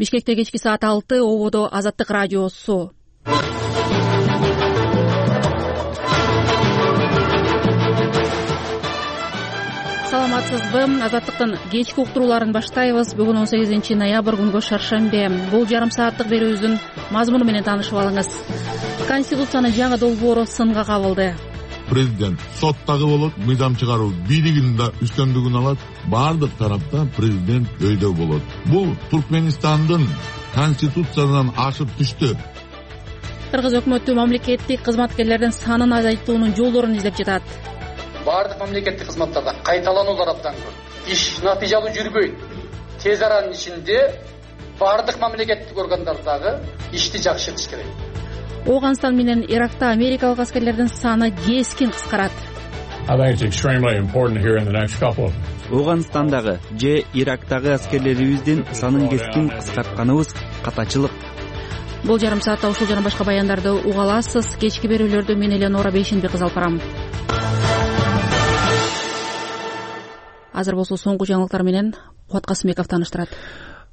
Бишкекте кечки саат 6 ободо Азаттык радиосу. Саламатсызбы? Азаттыктын кечки уктурууларын баштайбыз. Бүгүн 18 ноябрь күнгө шаршембе. Бул жарым сааттык берүүбүздүн мазмуну менен таанышып алыңыз. Конституциянын жаңы долбоору сынга кабылды. Президент соттагы болот, мыйзам чыгаруу бийлигинин да үстөмдүгүн алат. Бардык тарапта президент өйдө болот. Бул Туркменистандын конституциясынан ашып түштү. Кыргыз өкмөтү мамлекеттик кызматкерлердин санын азайтуунун жолдорун издеп жатат. Бардык мамлекеттик кызматтарда кайталануулар абдан көп. Иш натыйжалуу жүрбөйт. Тез аранын ичинде бардык мамлекеттик органдардагы ишти жакшыртыш керек. Ооганстан менен Иракта америкалык аскерлердин саны кескин кыскарат. Ооганстандагы же Ирактагы аскерлерибиздин санын кескин кыскартканыбыз катачылык. Бул жарым саатта ушул жана башка баяндарды уга аласыз. Кечки берүүлөрдү мен Эленора Бейшенбек кызы алып барам. Азыр болсо соңку жаңылыктар менен Кубат Касымбеков тааныштырат.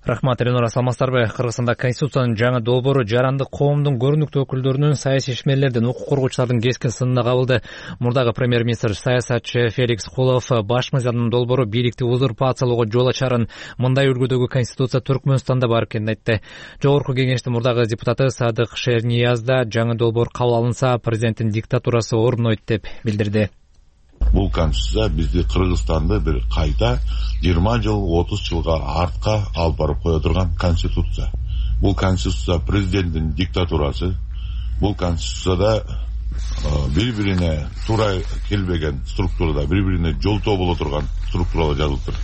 Рахмат, Эленора, саламатсыздарбы? Кыргызстанда Конституциянын жаңы долбоору жарандык коомдун көрүнүктүү өкүлдөрүнүн, саясий ишмерлердин, укук коргоочулардын кескин сынына кабылды. Мурдагы премьер-министр саясатчы Феликс Кулов баш мыйзамдын долбоору бийликти узурпациялоого жол ачарын, мындай үлгүдөгү конституция Түркмөнстанда бар экенин айтты. Жогорку кеңештин мурдагы депутаты Садык Шернияз да жаңы долбоор кабыл алынса, президенттин диктатурасы орнойт деп билдирди. Бул конституция бизди Кыргызстанды бир кайта 20 жыл, 30 жылга артка алып барып кое турган конституция. Бул конституция президенттин диктатурасы. Бул конституцияда бири-бирине туура келбеген структурада, бири-бирине жолтоо боло турган структуралар жазылыптыр,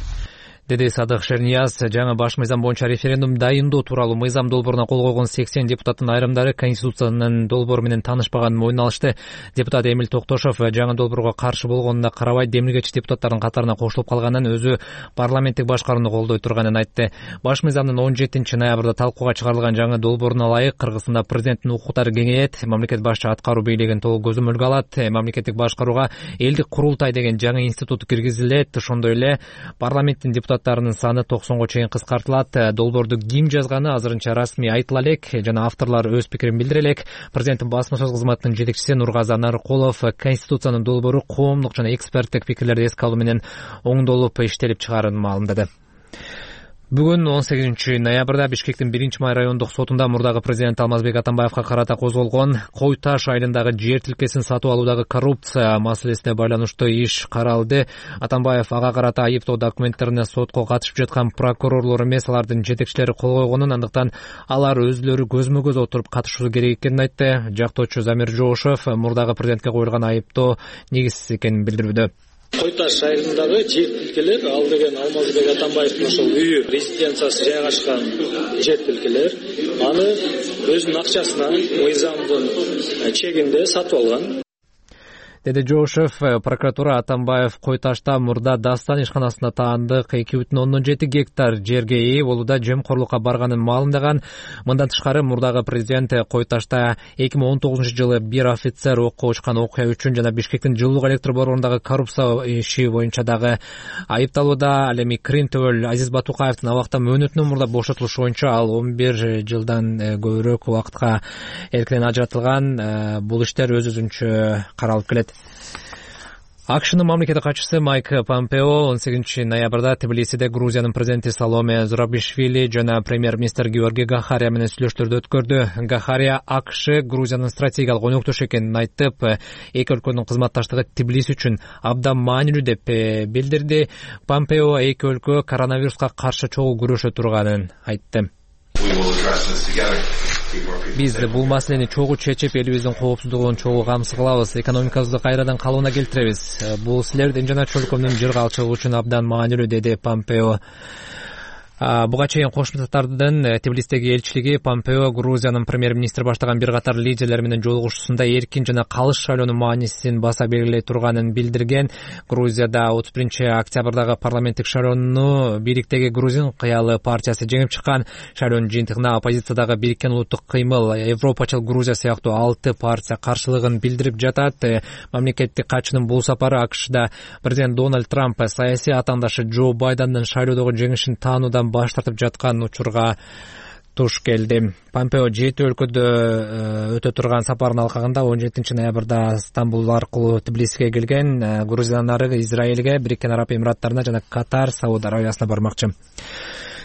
деди Садык Шернияз. Жаңы баш мыйзам боюнча референдум дайындоо тууралуу мыйзам долбооруна кол койгон 80 депутаттын айрымдары конституциянын долбоору менен таанышпаганын мойнуна алышты. Депутат Эмил Токтошов жаңы долбоорго каршы болгонуна карабай, демилгечи депутаттардын катарына кошулуп калганын, өзү парламенттик башкарууну колдой турганын айтты. Баш мыйзамдын 17 ноябрда талкууга чыгарылган жаңы долбооруна ылайык Кыргызстанда президенттин укуктары кеңейет, мамлекет башчы аткаруу бийлигин толук көзөмөлгө алат, мамлекеттик башкарууга элдик курултай деген жаңы институт киргизилет, ошондой эле парламенттин депутаттарынын саны 90го чейин кыскартылат. Долбоорду ким жазганы азырынча расмий айтыла элек жана авторлор өз пикирин билдире элек. Президенттин басма сөз кызматынын жетекчиси Нургазы Нарыкулов конституциянын долбоору коомдук жана эксперттик пикирлерди эске алуу менен оңдолуп иштелип чыгаарын маалымдады. Бүгүн 18 ноябрда Бишкектин 1-май райондук сотунда мурдагы президент Алмазбек Атамбаевка карата козголгон Кой Таш айылындагы жер тилкесин сатып алуудагы коррупция маселесине байланыштуу иш каралды. Атамбаев ага карата айыптоо документтерине сотко катышып жаткан прокурорлор эмес, алардын жетекчилери кол койгонун, андыктан алар өзүлөрү көзмө-көз отуруп катышуу керек экенин айтты. Жактоочу Замир Жоошев мурдагы президентке коюлган айыптоо негизсиз экенин билдирүүдө. Кой Таш айылындагы жер тилкелер, ал деген Алмазбек Атамбаевдин ошол үйү, резиденциясы жайгашкан жер тилкелер, аны өзүнүн акчасына мыйзамдын чегинде сатып алган, деди Жоошев. Прокуратура Атамбаев Кой Ташта мурда Дастан ишканасына таандык 2,7 гектар жерге ээ болууда жемкорлукка барганын маалымдаган. Мындан тышкары мурдагы президент Кой Ташта 2019 жылы бир офицер окко учкан окуя үчүн жана Бишкектин жылуулук электр борборундағы коррупция иши боюнча дагы айыпталууда. Ал эми Крим төбөл Азиз Батукаевдин абакта мөөнөтүнөн мурда бошотулушу боюнча ал 11 жылдан көбүрөөк убакытка эркинен ажыратылган. Бул иштер өз-өзүнчө каралып келет. АКШнын мамлекеттик катчысы Майк Помпео 18 ноябрда Тбилисиде Грузиянын президенти Саломе Зурабишвили жана премьер-министр Георгий Гахария менен сүйлөштөрдү өткөрдү. Гахария АКШ Грузиянын стратегиялык өнөктөш экенин айтып, эки өлкөнүн кызматташтыгы Тбилиси үчүн абдан маанилүү деп билдирди. Помпео эки өлкө коронавируска каршы чогуу күрөшө турганын айтты. Биз бул маселени чогуу чечип, элибиздин коопсуздугун чогуу камсыз кылабыз, экономикабызды кайрадан калыбына келтиребиз. Бул силердин жана чөлкөмдүн жыргалчылыгы үчүн абдан маанилүү, деди Помпео. Буга чейин Кошмо Татардын Тбилисидеги элчилиги Помпео Грузиянын премьер-министри баштаган бир катар лидерлер менен жолугушуусунда эркин жана калыс шайлоонун маанисин баса белгилей турганын билдирген. Грузияда 31 октябрдагы парламенттик шайлоону бийликтеги Грузин кыялы партиясы жеңип чыккан. Шайлоонун жыйынтыгына оппозициядагы Бириккен улуттук кыймыл, Европачыл Грузия сыяктуу 6 партия каршылыгын билдирип жатат. Мамлекеттик катчынын бул сапары АКШда президент Дональд Трамп саясий атаандашы Джо Байдендин шайлоодогу жеңишин таануудан баш тартып жаткан учурга туш келди. Помпео 7 өлкөдө өтө турган сапарынын алкагында 17 ноябрда Стамбул аркылуу Тбилисиге келген. Грузиядан ары Израилге, Бириккен Араб Эмираттарына жана Катар, Сауд Аравиясына бармакчы.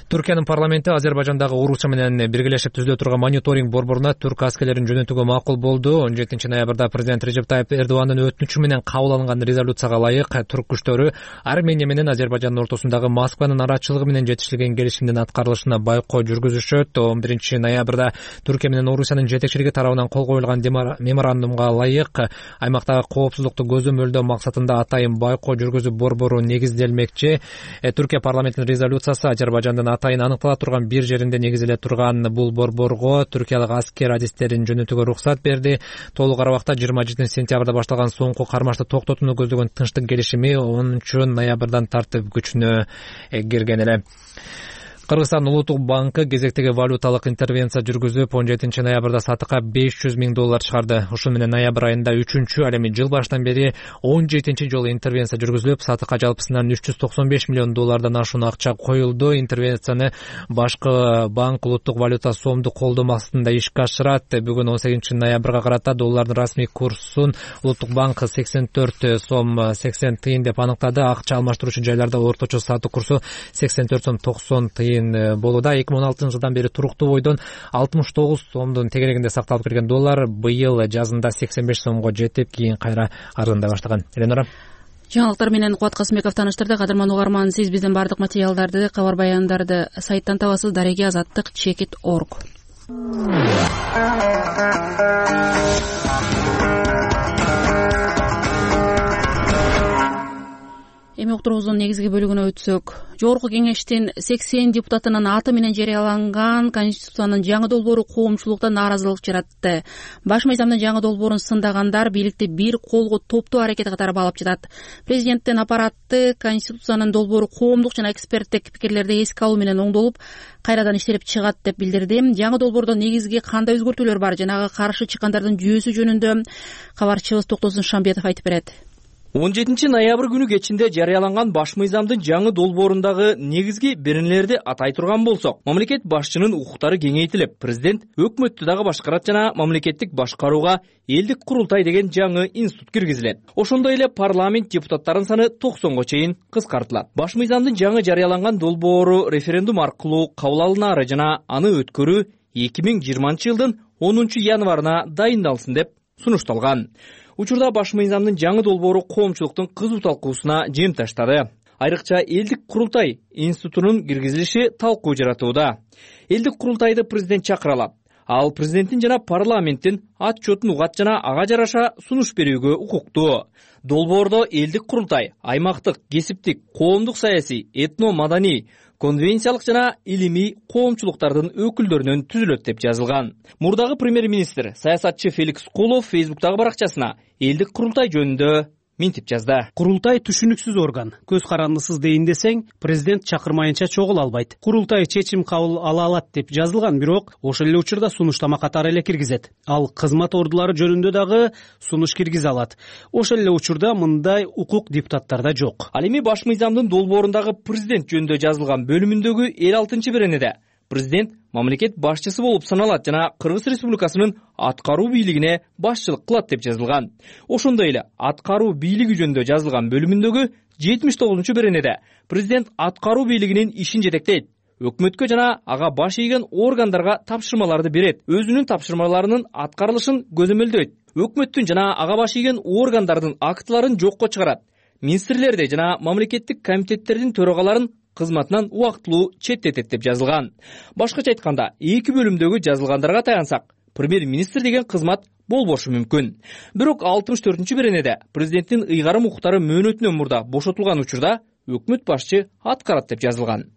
Түркиянын парламенти Азербайжандагы Орусия менен биргелешип түзүлө турган мониторинг борборуна түрк аскерлерин жөнөтүүгө макул болду. 17 ноябрда президент Режеп Тайип Эрдогандын өтүнүчү менен кабыл алынган резолюцияга ылайык түрк күчтөрү Армения менен Азербайжандын ортосундагы Москванын арачылыгы менен жетишилген келишимдин аткарылышына байкоо жүргүзүшөт. 11 ноябрда Түркия менен Орусиянын жетекчилиги тарабынан кол коюлган меморандумга ылайык аймактагы коопсуздукту көзөмөлдөө максатында атайын байкоо жүргүзүү борбору негизделмекчи. Түркия парламентинин резолюциясы Азербайжандын атайын аныктала турган бир жеринде негизделе турган бул борборго түркиялык аскер адистерин жөнөтүүгө уруксат берди. Толук арабакта 27 сентябрда башталган соңку кармашты токтотууну көздөгөн тынчтык келишими 10 ноябрдан тартып күчүнө кирген эле. Кыргызстан Улуттук банкы кезектеги валюталык интервенция жүргүзүп 17 ноябрда сатыкка $500 миң чыгарды. Ушун менен ноябрь айында 3-чү, ал эми жыл башынан бери 17-чи жолу интервенция жүргүзүлүп, сатыкка жалпысынан $395 миллион ашуун акча коюлду. Интервенцияны башкы банк улуттук валюта сомду колдоо максатында ишке ашырат. Бүгүн 18 ноябрга карата доллардын расмий курсун Улуттук банк 84 сом 80 тыйын деп аныктады. Акча алмаштыруучу жайларда орточо сатуу курсу 84 сом 90 тыйын болууда. 2016 жылдан бери туруктуу бойдон 69 сомдун тегерегинде сакталып келген доллар быйыл жазында 85 сомго жетип, кийин кайра арзандай баштаган. Эленора. Жаңылыктар менен Кубат Касымбеков таныштырды. Кадырман угарман, сиз биздин бардык материалдарды, кабар баяндарды сайттан табасыз. Дареги азаттык /org. Эми уктуруубуздун негизги бөлүгүнө өтсөк, жогорку кеңештин 80 депутатынын аты менен жарыяланган Конституциянын жаңы долбоору коомчулукта нааразылык жаратты. Баш мыйзамдын жаңы долбоорун сындагандар бийликти бир колго топтоо аракет катары баалап жатат. Президенттин аппараты Конституциянын долбоору коомдук жана эксперттик пикирлерди эске алуу менен оңдолуп, кайрадан иштелип чыгат деп билдирди. Жаңы долбоордо негизги кандай өзгөртүүлөр бар, жанагы каршы чыккандардын жүйөсү жөнүндө кабарчыбыз Токтосун Шамбетов айтып берет. 17 ноябрь күнү кечинде жарыяланган баш мыйзамдын жаңы долбоорундагы негизги беренелерди атай турган болсок, мамлекет башчынын укуктары кеңейтилип, президент өкмөттү дагы башкарат жана мамлекеттик башкарууга элдик курултай деген жаңы институт киргизилет. Ошондой эле парламент депутаттарынын саны 90го чейин кыскартылат. Баш мыйзамдын жаңы жарыяланган долбоору референдум аркылуу кабыл алынары жана аны өткөрүү 2020 жылдын 10 январына дайындалсын деп сунушталган. Учурда баш мыйзамдын жаңы долбоору коомчулуктун кызуу талкуусуна жем таштады. Айрыкча элдик курултай институтунун киргизилиши талкуу жаратууда. Элдик курултайды президент чакыра алат. Ал президенттин жана парламенттин отчетун угат жана ага жараша сунуш берүүгө укуктуу. Долбоордо элдик курултай аймактык, кесиптик, коомдук саясий, этно-маданий, конвенциялык жана илимий коомчулуктардын өкүлдөрүнөн түзүлөт деп жазылган. Мурдагы премьер-министр саясатчы Феликс Кулов Фейсбуктагы баракчасына элдик курултай жөнүндө мынтип жазды. Курултай түшүнүксүз орган. Көз карандысыз дейин десең, президент чакырмайынча чогула албайт. Курултай чечим кабыл ала алат деп жазылган, бирок ошол эле учурда сунуштама катары эле киргизет. Ал кызмат ордулары жөнүндө дагы сунуш киргизе алат. Ошол эле учурда мындай укук депутаттарда жок. Ал эми баш мыйзамдын долбоорундагы президент жөнүндө жазылган бөлүмүндөгү 56-беренеде президент мамлекет башчысы болуп саналат жана Кыргыз Республикасынын аткаруу бийлигине башчылык кылат деп жазылган. Ошондой эле аткаруу бийлиги жөнүндө жазылган бөлүмүндөгү 79-беренеде президент аткаруу бийлигинин ишин жетектейт, өкмөткө жана ага баш ийген органдарга тапшырмаларды берет, өзүнүн тапшырмаларынын аткарылышын көзөмөлдөйт, өкмөттүн жана ага баш ийген органдардын актыларын жокко чыгарат, министрлерди жана мамлекеттик комитеттердин төрагаларын кызматынан убактылуу четтетет деп жазылган. Башкача айтканда, эки бөлүмдөгү жазылгандарга таянсак, премьер-министр деген кызмат болбошу мүмкүн. Бирок 64-беренеде президенттин ыйгарым укуктары мөөнөтүнөн мурда бошотулган учурда өкмөт башчы аткарат деп жазылган.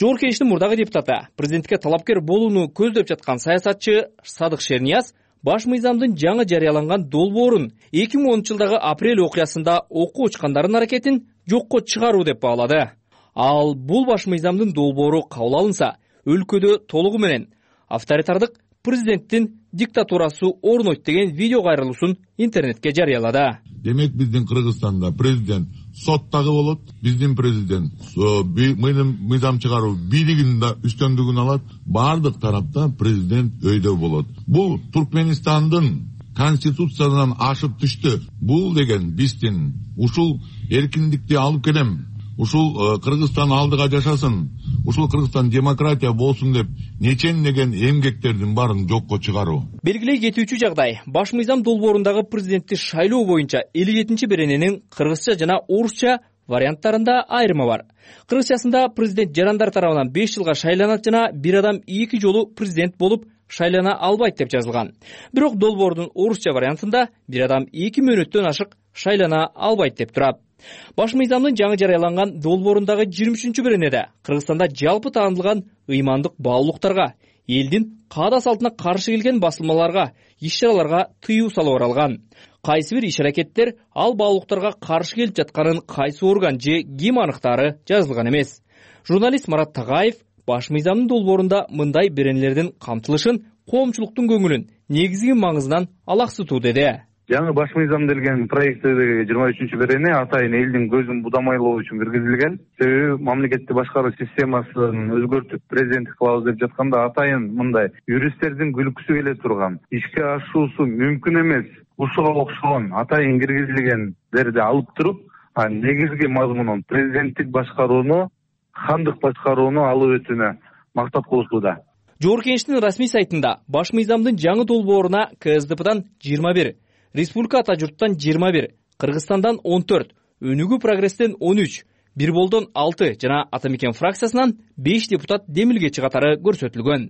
Жогорку кеңештин мурдагы депутаты, президентке талапкер болууну көздөп жаткан саясатчы Садык Шернияз баш мыйзамдын жаңы жарыяланган долбоорун 2010 жылдагы апрель окуясында окуу учкандардын аракетин жокко чыгаруу деп баалады. Ал бул баш мыйзамдын долбоору кабыл алынса, өлкөдө толугу менен авторитардык президенттин диктатурасы орнойт деген видео кайрылуусун интернетке жарыялады. Демек биздин Кыргызстанда президент соттагы болот, биздин президент мыйзам чыгаруу бийлигинин да үстөмдүгүн алат, бардык тарапта президент өйдө болот. Бул Туркменистандын конституциясынан ашып түштү. Бул деген биздин ушул эркиндикти алып келем, ушул Кыргызстан алдыга жашасын, ушул Кыргызстан демократия болсун деп нечен эмгектердин баарын жокко чыгаруу. Белгилей кетүүчү жагдай, баш мыйзам долбоорундагы президентти шайлоо боюнча 57-берененин кыргызча жана орусча варианттарында айырма бар. Кыргызчасында президент жарандар тарабынан 5 жылга шайланат жана бир адам 2 жолу президент болуп шайлана албайт деп жазылган. Бирок долбоордун орусча вариантында бир адам 2 мөөнөттөн ашык шайлана албайт деп турат. Баш мыйзамдын жаңы жарыяланган долбоорундагы 23-беренеде Кыргызстанда жалпы таанылган ыймандык баалуулуктарга, элдин каада салтына каршы келген басылмаларга, иш-чараларга тыюу салып аралган. Кайсы бир иш-аракеттер ал баалуулуктарга каршы келип жатканын кайсы орган же ким аныктаары жазылган эмес. Журналист Марат Тагаев баш мыйзамдын долбоорунда мындай беренелердин камтылышын коомчулуктун көңүлүн негизги маңызынан алаксытуу деди. Жаңы баш мыйзам делген проекттеги 23-берене атайын элдин көзүн будамайлоо үчүн киргизилген. Себеби мамлекетти башкаруу системасын өзгөртүп президенттик кылабыз деп жатканда атайын мындай юристтердин күлкүсү келе турган, ишке ашуусу мүмкүн эмес, ушуга окшогон атайын киргизилгендерди алып туруп, негизги мазмунун президенттик башкарууну, хандык башкарууну алып өтүүнө мактап кылышууда. Жогорку Кеңештин расмий сайтында баш мыйзамдын жаңы долбооруна КСДПдан 21, Республика Ата журттан 21, Кыргызстандан 14, Өнүгүү Прогресстен 13, Бир Болдон 6 жана Ата Мекен фракциясынан 5 депутат демилгечи катары көрсөтүлгөн.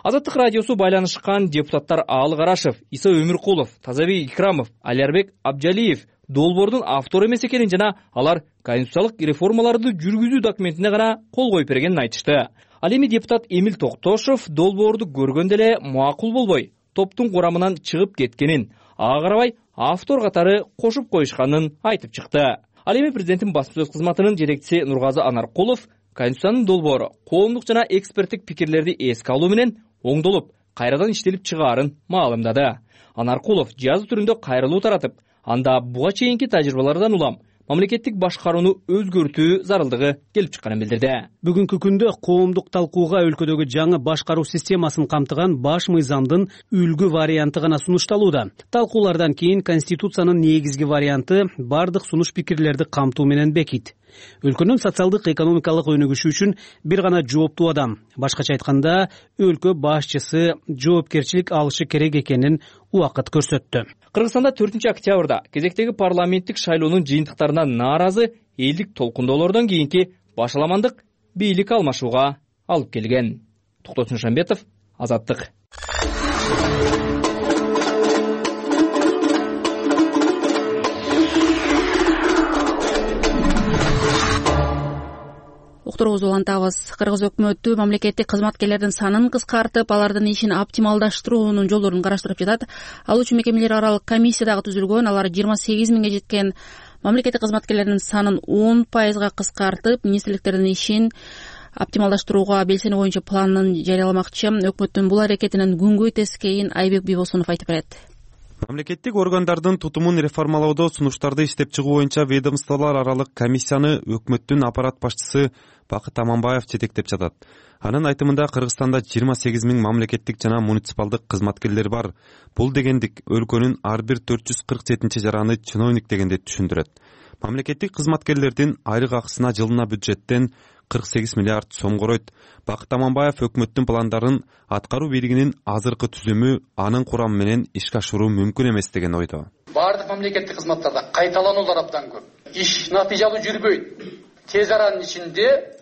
Азаттык радиосу байланышкан депутаттар Аалы Карашев, Иса Өмүркулов, Тазабек Икрамов, Алиарбек Абжалиев долбоордун автору эмес экенин жана алар конституциялык реформаларды жүргүзүү документине гана кол коюп бергенин айтышты. Ал эми депутат Эмил Токтошов долбоорду көргөндө эле макул болбой, топтун курамынан чыгып кеткенин, ага карабай автор катары кошуп коюшканын айтып чыкты. Ал эми президенттин басма сөз кызматынын жетекчиси Нургазы Анаркулов конституциянын долбоору коомдук жана эксперттик пикирлерди эске алуу менен оңдолуп, кайрадан иштелип чыгаарын маалымдады. Анаркулов жазуу түрүндө кайрылуу таратып, анда буга чейинки тажрыйбалардан улам мамлекеттик башкарууну өзгөртүү зарылдыгы келип чыкканын билдирди. Бүгүнкү күндө коомдук талкууга өлкөдөгү жаңы башкаруу системасын камтыган баш мыйзамдын үлгү варианты гана сунушталууда. Талкуулардан кийин конституциянын негизги варианты бардык сунуш пикирлерди камтуу менен бекит. Өлкөнүн социалдык экономикалык өнүгүшү үчүн бир гана жооптуу адам, башкача айтканда, өлкө башчысы жоопкерчилик алышы керек экенин убакыт көрсөттү. Кыргызстанда 4-октябрда кезектеги парламенттик шайлоонун жыйынтыктарына нааразы элдик толкундоолордон кийинки башаламандык бийлик алмашууга алып келген. Токтосун Шамбетов, Азаттык. Уктуруубузду улантабыз. Кыргыз өкмөтү мамлекеттик кызматкерлердин санын кыскартып, алардын ишин оптималдаштыруунун жолдорун караштырып жатат. Ал үчүн мекемелер аралык комиссия дагы түзүлгөн. Алар 28 миңге жеткен мамлекеттик кызматкерлердин санын 10% кыскартып, министрликтердин ишин оптималдаштырууга белсене боюнча планын жарыяламакчы. Өкмөттүн бул аракетинин күнгөй тескейин Айбек Бийбосунов айтып берет. Мамлекеттик органдардын тутумун реформалоодо сунуштарды иштеп чыгуу боюнча ведомстволор аралык комиссияны өкмөттүн аппарат башчысы Бакыт Аманбаев жетектеп жатат. Анын айтымында Кыргызстанда 28 миң мамлекеттик жана муниципалдык кызматкерлер бар. Бул дегендик өлкөнүн ар бир 447 жараны чиновник дегенди түшүндүрөт. Мамлекеттик кызматкерлердин айлык акысына жылына бюджеттен 48 миллиард сом коройт. Бакыт Аманбаев өкмөттүн пландарын аткаруу бийлигинин азыркы түзүмү анын курамы менен ишке ашыруу мүмкүн эмес деген ойдо. Бардык мамлекеттик кызматтарда кайталануулар абдан көп. Иш натыйжалуу жүрбөйт. Тез аранын ичинде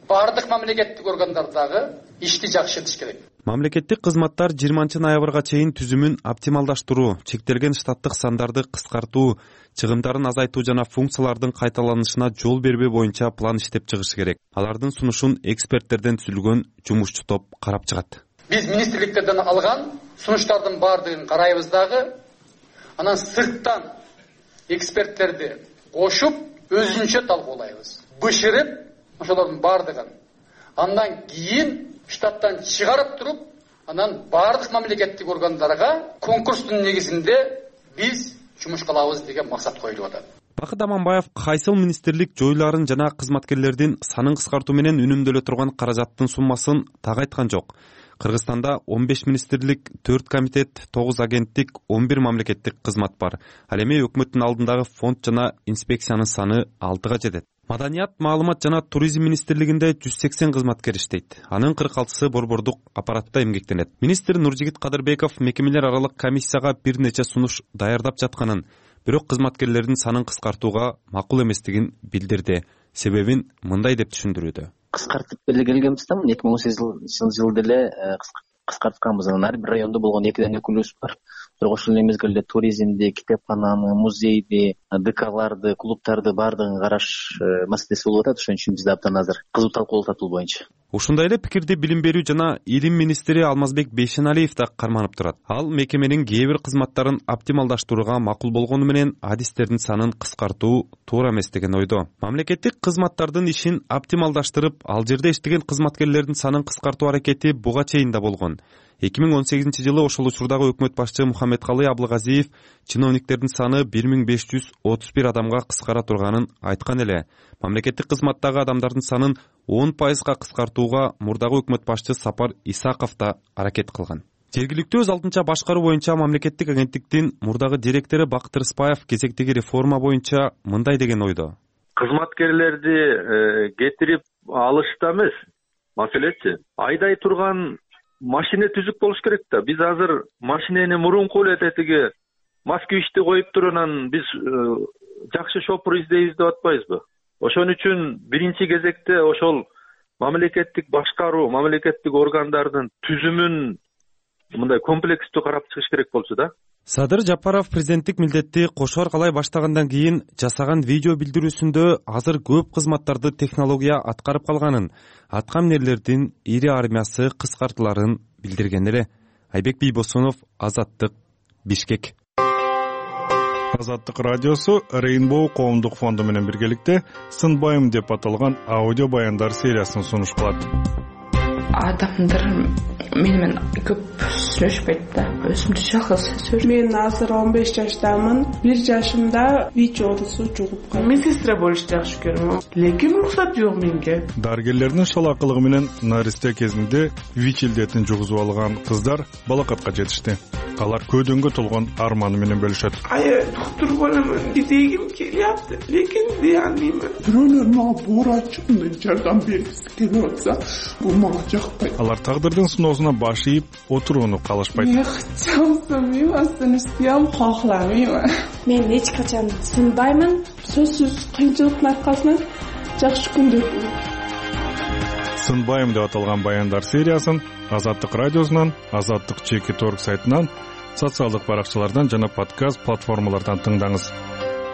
бардык мамлекеттик органдардагы ишти жакшыртыш керек. Мамлекеттик кызматтар 20-ноябрга чейин түзүмүн оптималдаштыруу, чектелген штаттык сандарды кыскартуу, чыгымдарын азайтуу жана функциялардын кайталанышына жол бербөө боюнча план иштеп чыгышы керек. Алардын сунушун эксперттерден түзүлгөн жумушчу топ карап чыгат. Биз министрликтерден алган сунуштардын бардыгын карайбыз дагы, анан сырттан эксперттерди кошуп өзүнчө талкуулайбыз. Бышырып ошолордун бардыгын. Андан кийин штаттан чыгарып туруп, Анан бардык мамлекеттик органдарга конкурстун негизинде биз жумуш кылабыз деген максат коюлуп атат. Бакыт Аманбаев кайсыл министрлик жойларын жана кызматкерлердин санын кыскартуу менен үнөмдөлө турган каражаттын суммасын так айткан жок. Кыргызстанда 15 министрлик, 4 комитет, 9 агенттик, 11 мамлекеттик кызмат бар. Ал эми өкмөттүн алдындагы фонд жана инспекциянын саны 6га жетет. Маданият, маалымат жана туризм министрлигинде 180 кызматкер иштейт. Анын 46сы борбордук аппаратта эмгектенет. Министр Нуржигит Кадырбеков мекемелер аралык комиссияга бир нече сунуш даярдап жатканын, бирок кызматкерлердин санын кыскартууга макул эместигин билдирди. Себебин мындай деп түшүндүрүүдө. Кыскартып белгилегенбиз да 2018 жылы деле кыскартканбыз. Ар бир райондо болгон 2ден өкүлүбүз бар. Бирок ошол мезгилде туризмди, китепкананы, музейди, ДКларды, клубтарды баардыгын караш маселеси болуп атат. Ошон үчүн бизде абдан азыр кызуу талкууланып атат бул боюнча. Ушундай эле пикирди билим берүү жана илим министри Алмазбек Бейшеналиев да карманып турат. Ал мекеменин кээ бир кызматтарын оптималдаштырууга макул болгону менен адистердин санын кыскартуу туура эмес деген ойдо. Мамлекеттик кызматтардын ишин оптималдаштырып, ал жерде иштеген кызматкерлердин санын кыскартуу аракети буга чейин да болгон. 2018 жылы ошол учурдагы өкмөт башчы Мухаммедкалый Аблыгазиев чиновниктердин саны 1531 адамга кыскара турганын айткан эле. Мамлекеттик кызматтагы адамдардын санын 10% кыскартууга мурдагы өкмөт башчы Сапар Исаков да аракет кылган. Жергиликтүү өз алдынча башкаруу боюнча мамлекеттик агенттиктин мурдагы директору Бакыт Рыспаев кезектеги реформа боюнча мындай деген ойдо. Кызматкерлерди кетирип алышта эмес, маселеси айдай турган машина түзүк болуш керек да. Биз азыр машинени мурунку эле тетиги москвичти коюп туруп анан биз жакшы шопур издейбиз деп атпайбызбы? Ошон үчүн биринчи кезекте ошол мамлекеттик башкаруу, мамлекеттик органдардын түзүмүн мындай комплекстүү карап чыгыш керек болчу да. Садыр Жапаров президенттик милдетти кошо аркалай баштагандан кийин жасаган видео билдирүүсүндө азыр көп кызматтарды технология аткарып калганын, атка минерлердин ири армиясы кыскартыларын билдирген эле. Айбек Бийбосунов, Азаттык, Бишкек. Азаттык радиосу Rainbow коомдук фонду менен биргеликте Сынбайым деп аталган аудио баяндар сериясын сунуш кылат. Адамдар менен көп сүйлөшпөйт да. Өзүмдү жалгыз сөз. Мен азыр 15 жаштамын. 1 жашымда ВИЧ оорусу жугуп калды. Медсестра болушты жакшы көрөм. Лекин уруксат жок менге. Дарыгерлердин шалакылыгы менен наристе кезинде ВИЧ илдетин жугузуп алган кыздар балакатка жетишти. Алар көдөнгө толгон арманы менен бөлүшөт. Доктор боломун дегим келиапты, лекин дей албайм. Бирөөлөр мага боорачы жардам бергиси келип атса, бул мага жакпайт. Алар тагдырдын сыноосуна баш ийип отурууну каалашпайт. Мен чамсамайм, астын кахламайм. Мен эч качан сынбаймын. Сөзсүз кыйынчылыктын аркасынан жакшы күндөр болот. Сынбайым деп аталган баяндар сериясын Азаттык радиосунан, Азаттык ЧК.org сайтынан, социалдык баракчалардан жана подкаст платформалардан тыңдаңыз.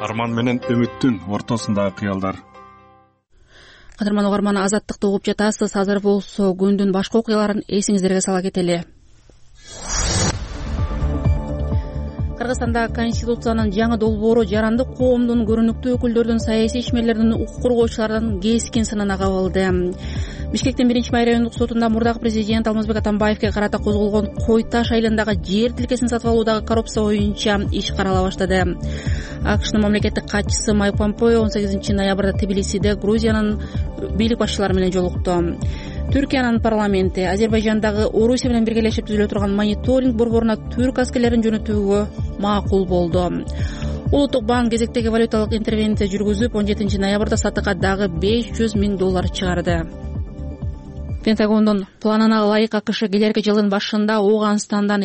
Арман менен үмүттүн ортосундагы кыялдар. Кадырман угарман, Азаттыкты угуп жатасыз. Азыр болсо күндүн башка окуяларын эсиңиздерге сала кетели. Кыргызстанда Конституциянын жаңы долбоору жарандык коомдун, көрүнүктүү өкүлдөрдүн, саясий ишмерлердин, укук коргоочулардын кескен сынына кабылды. Бишкектин 1-май райондук сотунда мурдагы президент Алмазбек Атамбаевге карата козголгон Кой Таш айылындагы жер тилкесин сатып алуудагы коррупция боюнча иш карала баштады. АКШнын мамлекеттик катчысы Майк Помпео 18 ноябрда Тбилисиде Грузиянын бийлик башчылары менен жолукту. Түркиянын парламенти Азербайжандагы Орусия менен биргелешип түзүлө турган мониторинг борборуна түрк аскерлерин жөнөтүүгө макул болду. Улуттук банк кезектеги валюталык интервенция жүргүзүп 17 ноябрда сатыга дагы $500 миң чыгарды. Пентагондун планына ылайык АКШ келерки жылдын башында Ооганстандан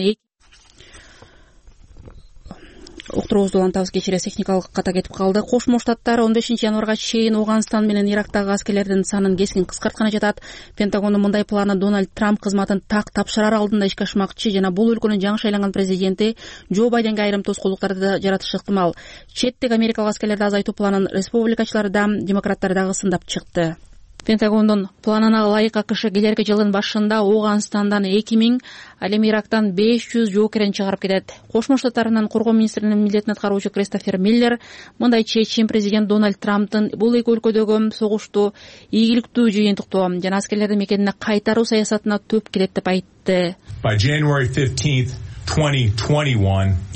уктуруубузду улантабыз, кечиресиз техникалык ката кетип калды. Кошмо Штаттар 15 январга чейин Ооганстан менен Ирактагы аскерлердин санын кескин кыскартканы жатат. Пентагондун мындай планы Дональд Трамп кызматын так тапшырар алдында ишке ашмакчы жана бул өлкөнүн жаңы шайланган президенти Джо Байденге айрым тоскоолдуктарды жаратышы ыктымал. Четтеги америкалык аскерлерди азайтуу планын республикачылар да, демократтар дагы сындап чыкты. Пентагондун планына ылайык АКШ келерки жылдын башында Ооганстандан 2000, ал эми Ирактан 500 жоокерин чыгарып кетет. Кошмо Штаттарынын коргоо министринин милдетин аткаруучу Кристофер Миллер мындай чечим президент Дональд Трамптын бул эки өлкөдөгү согушту игиликтүү жыйынтыктоо жана аскерлерди мекенине кайтаруу саясатына төп келет деп айтты.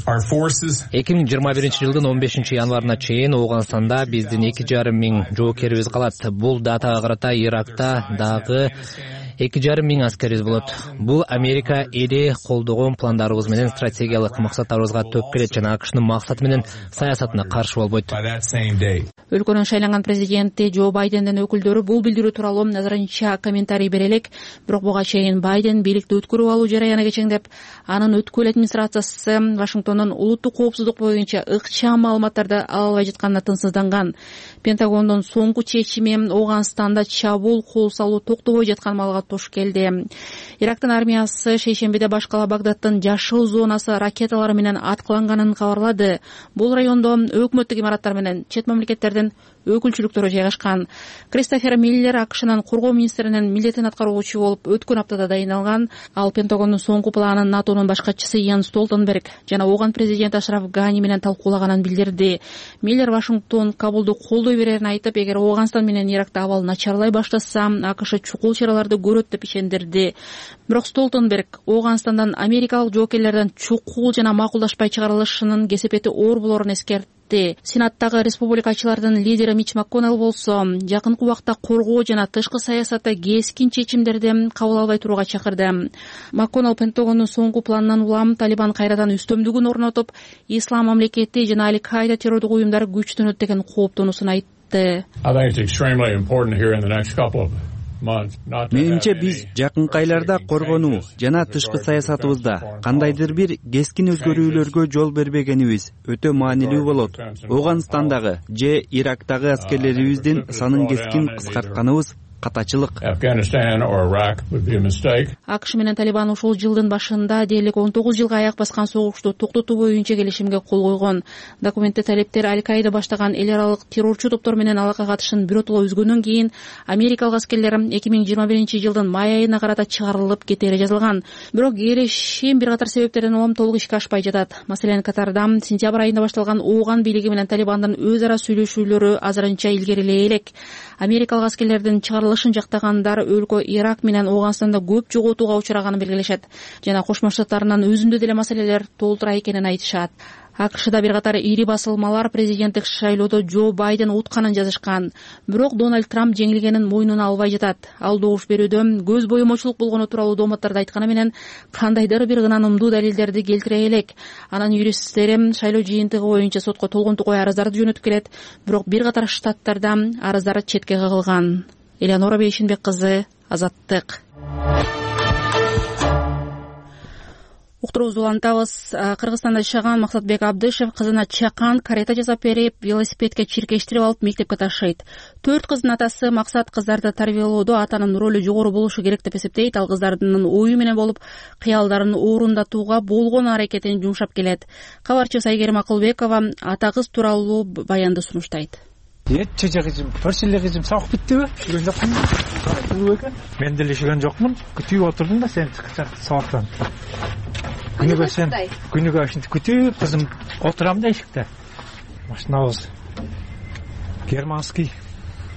2021-жылдын 15-январына чейин Ооганстанда биздин 2,5 миң жоокерибиз калат. Бул датага карата Иракта дагы 2,5 миң аскерибиз болот. Бул Америка эли колдогон пландарыбыз менен стратегиялык максаттарыбызга төп келет жана АКШнын максаты менен саясатына каршы болбойт. Өлкөнүн шайланган президенти Джо Байдендин өкүлдөрү бул билдирүү тууралуу назарынча комментарий бере элек, бирок буга чейин Байден бийликти өткөрүп алуу жараяны кечеңдеп, анын өткүл администрациясы Вашингтондун улуттук коопсуздук боюнча ыкчам маалыматтарды ала албай жатканына тынчсызданган. Пентагондун соңку чечими Ооганстанда чабуул кол салуу токтобой жаткан маалга туш келди. Ирактын армиясы шейшембиде баш кала Багдадтын жашыл зонасы ракеталары менен аткыланганын кабарлады. Бул райондо өкмөттүк имараттар менен чет мамлекеттердин өкүлчүлүктөрү жайгашкан. Кристофер Миллер АКШнын коргоо министринин милдетин аткаруучу болуп өткөн аптада дайындалган. Ал Пентагондун соңку планын НАТОнун баш катчысы Ян Столтенберг жана Ооган президенти Ашраф Гани менен талкуулаганын билдирди. Миллер Вашингтон Кабулду колдой берерин айтып, эгер Ооганстан менен Иракта абал начарлай баштаса, АКШ чукул чараларды көрөт деп ишендирди. Бирок Столтенберг Ооганстандан америкалык жоокерлердин чукул жана макулдашпай чыгарылышынын кесепети оор болорун эскертти. Сенаттагы республикачылардын лидери Мич МакКоннелл болсо, жакынкы убакта коргоо жана тышкы саясатта кескин чечимдерди кабыл албай турууга чакырды. МакКоннелл Пентагондун соңку планынан улам Талибан кайрадан үстөмдүгүн орнотуп, Ислам мамлекети жана Аль-Каида террордук уюмдары күчтөнөт деген кооптонуусун айтты. Менимче биз жакынкы айларда коргонуу жана тышкы саясатыбызда кандайдыр бир кескин өзгөрүүлөргө жол бербегенибиз өтө маанилүү болот. Ооганстандагы же Ирактагы аскерлерибиздин санын кескин кыскартканыбыз катачылык. АКШ менен Талибан ушул жылдын башында дээрлик 19 жылга аяк баскан согушту токтотуу боюнча келишимге кол койгон. Документте талептер Аль-Каида баштаган эл аралык террорчу топтор менен алака катышын биротоло үзгөндөн кийин америкалык аскерлер 2021-жылдын май айына карата чыгарылып кетери жазылган. Бирок келишим бир катар себептерден улам толук ишке ашпай жатат. Маселен, Катарда сентябрь айында башталган Ооган бийлиги менен Талибандын өз ара сүйлөшүүлөрү азырынча илгерилей элек. Америкалык аскерлердин чыгарылышын жактагандар өлкө Ирак менен Ооганстанда көп жоготууга учраганын белгилешет жана Кошмо Штаттарынын өзүндө деле маселелер толтура экенин айтышат. АКШда бир катар ири басылмалар президенттик шайлоодо Джо Байден утканын жазышкан. Бирок Дональд Трамп жеңилгенин мойнуна албай жатат. Ал добуш берүүдө көз боемочулук болгону тууралуу дооматтарды айтканы менен кандайдыр бир ынанымдуу далилдерди келтире элек. Анын юристтери шайлоо жыйынтыгы боюнча сотко толгонтугай арыздарды жөнөтүп келет, бирок бир катар штаттарда арыздар четке кагылган. Элеонора Бейшинбек кызы, Азаттык. Уктуруубузду улантабыз. Кыргызстанда жашаган Максатбек Абдышев кызына чакан карета жасап берип, велосипедке чиркештирип алып мектепке ташыйт. 4 кыздын атасы Максат кыздарды тарбиялоодо атанын ролу жогору болушу керек деп эсептейт. Ал кыздардын ою менен болуп, кыялдарын орундатууга болгон аракетин жумшап келет. Кабарчыбыз Айгерим Акылбекова ата кыз тууралуу баянды сунуштайт. Чече кызым, төрсүлө кызым сабак биттиби? Жүргөн жокмун. Мен деле жүргөн жокмун. Күтүп отурдум да сен сабактан. Күнүгө ушинтип күтүп кызым отурам да эшикте. Машинабыз германский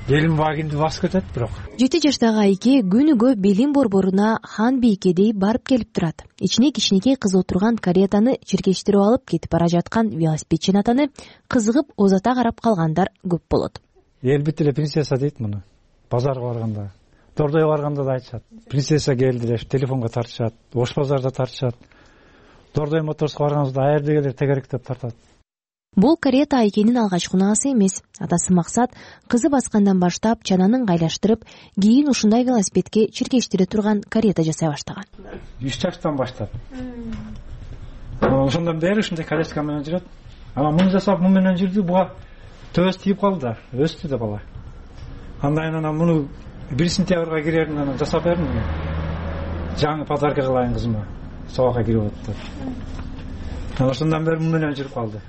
Гелимвагенди басып кетет бирок. 7 жаштагы Айке күнүгө белин борборуна хан бийкедей барып келип турат. Ичине кичинекей кыз отурган каретаны чиркештирип алып кетип бара жаткан велосипедчи атаны кызыгып озата карап калгандар көп болот. Элбетте эле принцесса дейт муну. Базарга барганда, Дордойго барганда да айтышат. Принцесса келди деп телефонго тартышат, Ош базарда тартышат. Дордой моторско барганыбызда аердегилер тегерек деп тартат. Бул карета Айкенин алгачкы унаасы эмес. Атасы Максат кызы баскандан баштап чананын гайлаштырып, кийин ушундай велосипедке чиркештире турган карета жасай баштаган. 3 жаштан баштап. Ошондон бери ушундай коляска менен жүрөт. Ана муну жасап, муну менен жүрдү, буга төбөсү тийип калды да, өстү да бала. Андан анан муну 1 сентябрга кирерин анан жасап бердим. Жаңы подарка кылайын кызыма. Сабакка кирип атты. Ошондон бери муну менен жүрүп калды.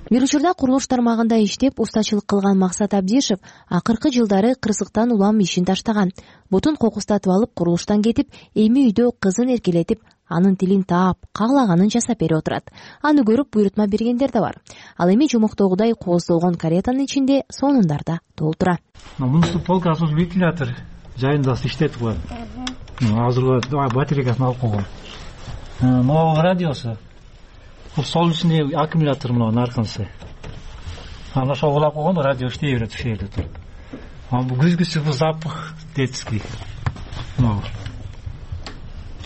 бир учурда курулуш тармагында иштеп устачылык кылган Максат Абдишев акыркы жылдары кырсыктан улам ишин таштаган. Бутун кокустатып алып курулуштан кетип, эми үйдө кызын эркелетип, анын тилин таап, каалаганын жасап берип отурат. Аны көрүп буйрутма бергендер да бар. Ал эми жомоктогудай кооздолгон каретанын ичинде сонундар да толтура. Мунусу полка асуз вентилятор жайында иштетип коет. Азыр батарейкасын алып койгон. Могу радиосу. Бул солнечный аккумулятор мына арканысы. Аны ошого улап койгон, радио иштей берет ушул жерде туруп. Бул күзгүсү бул запах детский. Бул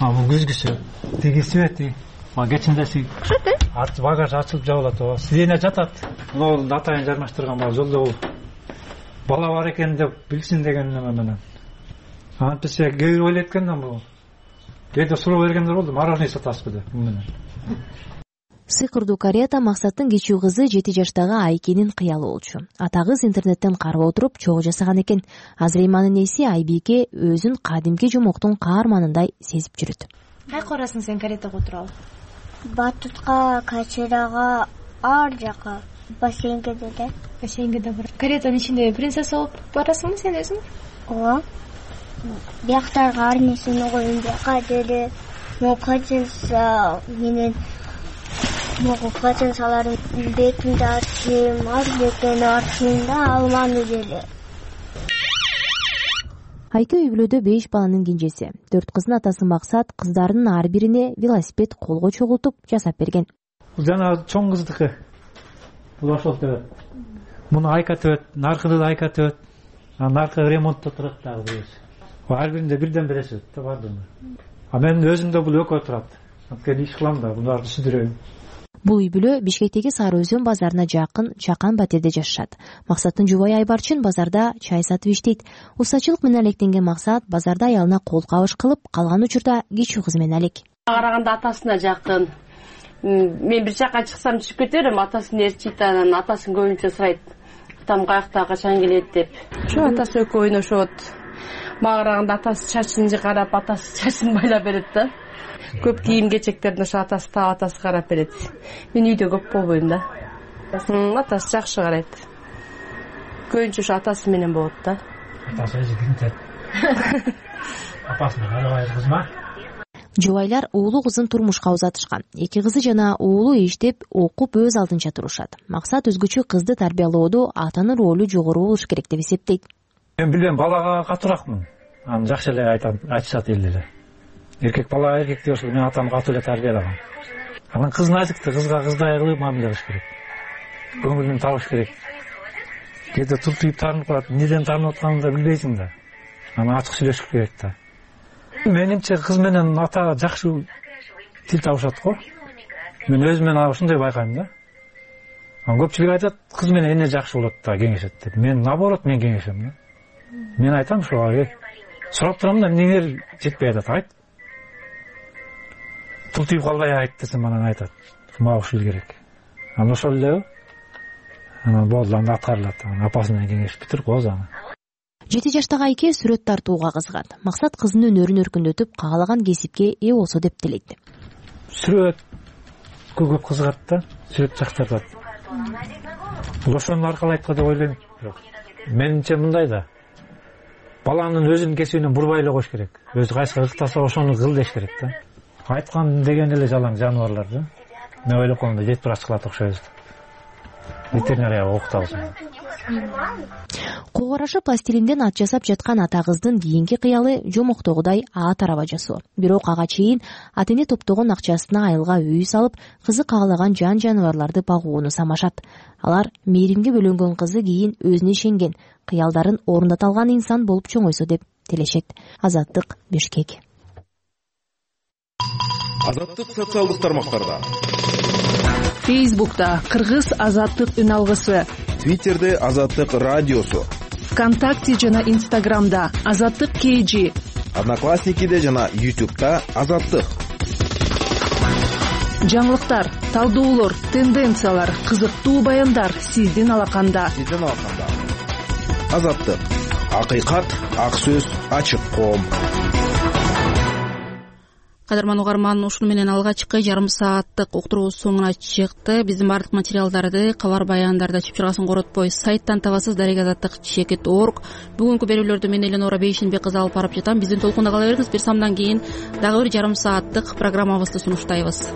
күзгүсү. Тиги свети. Кечиндеси. Багаж ачылып жабылат. Сидене жатат. Мына атайын жармаштырган бар жолдо бул. Бала бар экен деп билсин деген неме менен. Антисе кээ ойлойт экен да бул. Кээде суроо бергендер болду, мороженое сатасызбы деп бул менен. Сыйкырдуу карета Максаттын кичүү кызы 7 жаштагы Айкенин кыялы болчу. Ата кыз интернеттен карап отуруп чогуу жасаган экен. Азыр эми анын эси Айбике өзүн кадимки жомоктун каарманындай сезип жүрөт. Кайка барасың сен каретага отуралы? Батутка, Качырага, ар жака, бассейнге деле. Бассейнге да бар. Каретанын ичинде принцесса болуп барасыңбы сен өзүң? Ооба. Бияктарга ар нерсени коюм, бияка деле мокачынса менен качынсаларын бетимди ачайм, ар бекени ачайм да алманы деле. Айке үй бүлөдө 5 баланын кенжеси. 4 кыздын атасы Максат кыздарынын ар бирине велосипед колго чогултуп жасап берген. Бул жана чоң кыздыкы. Бул ошол төбөт. Муну Айка төбөт, наркыды да Айка төбөт. Наркы ремонтто турат дагы бирөөсү. Ар биринде бирден бересиз да бардыгы. Мен өзүм да бул экөө турат. Анткени иш кылам да, буларды түшүндүрөйм. Бул үй бүлө Бишкектеги Сары Өзөн базарына жакын чакан батирде жашашат. Максаттын жубайы Айбарчын базарда чай сатып иштейт. Устачылык менен алектенген Максат базарда аялына кол кабыш кылып, калган учурда кичүү кызы менен алек. Караганда атасына жакын. Мен бир жака чыксам түшүп кете берем, атасын ээрчийт, анан атасын көбүнчө сурайт. Атам каякта, качан келет деп. Ошо атасы экөө ойношот. Мага караганда атасы чачын карап, атасы чачын байлап берет да. Көп кийим кечектерин ошо атасы таап, атасы карап берет. Мен үйдө көп болбойм да. Атасы жакшы карайт. Көбүнчө ошо атасы менен болот да. Атасы өзү кимтет. Апасы менен албай кызма. Жубайлар уулу кызын турмушка узатышкан. 2 кызы жана уулу иштеп, окуп өз алдынча турушат. Максат өзгөчө кызды тарбиялоодо атанын ролу жогору болуш керек деп эсептейт. Мен билем, балага катууракмын. Аны жакшы эле айтышат элдер. Эркек бала эркекти ошо мен атам катуу эле тарбиялаган. Анан кыздын азыкты, кызга кыздай кылып мамиле кылыш керек. Көңүлүн табыш керек. Кээде туртуйуп таарынып калат, эмнеден таарынып атканын да билбейсиң да. Анан ачык сүйлөшүш керек да. Менимче кыз менен ата жакшы тил табышат го. Мен өзүмөн ушундай байкайм да. Көпчүлүк айтат, кыз менен эне жакшы болот да, кеңешет деп. Мен наоборот, мен кеңешем да. Мен айтам ошого, сурап турам да, эмнеңер жетпей атат, айт. Тултуйуп калбай айт десем, анан айтат. Мага ушул керек. Анан ошол эле. Анан болду, анда аткарылат. Апасы менен кеңешип бүтүрүп коебуз аны. 7 жаштагы Айке сүрөт тартууга кызыгат. Максат кызынын өнөрүн өркүндөтүп, каалаган кесипке ээ болсо деп тилейт. Сүрөт көп кызыгат да, сүрөт жактырат. Бул ошону аркалайт го деп ойлойм. Менимче мындай да. Баланын өзүнүн кесибинен бурбай эле коюш керек. Өзү кайсы ыктаса ошону кыл деш керек да. Айткан деген эле жалаң жаныбарлар да. Мен ойлоп калганда жетип бара чыгат окшойбуз. Ветеринарияга окутабыз. Кол карашы пластилинден ат жасап жаткан ата кыздын кийинки кыялы жомоктогудай ат араба жасоо. Бирок ага чейин ата эне топтогон акчасына айылга үй салып, кызы каалаган жан жаныбарларды багууну самашат. Алар мээримге бөлөнгөн кызы кийин өзүнө ишенген, кыялдарын орундата алган инсан болуп чоңойсо деп тилешет. Азаттык, Бишкек. Азаттык социалдык тармактарда. Фейсбукта Кыргыз азаттык үн алгысы, Твиттерде Азаттык радиосу, ВКонтакте жана Инстаграмда Азаттык KG, Одноклассникиде жана YouTube'да Азаттык. Жаңылыктар, талдоолор, тенденциялар, кызыктуу баяндар сиздин алаканда. Азаттык. Акыйкат, ак сөз, ачык коом. кадырман угарман, ушуну менен алгачкы жарым сааттык уктуруубуз соңуна чыкты. Биздин баардык материалдарды кабар баяндарда чыпчыргасын коротпой сайттан табасыз, darigazattik.org. Бүгүнкү берүүлөрдү мен Эленора Бейшенбек кызы алып барып жатам. Биздин толкунда кала бериңиз. Бир самдан кийин дагы бир жарым сааттык программабызды сунуштайбыз.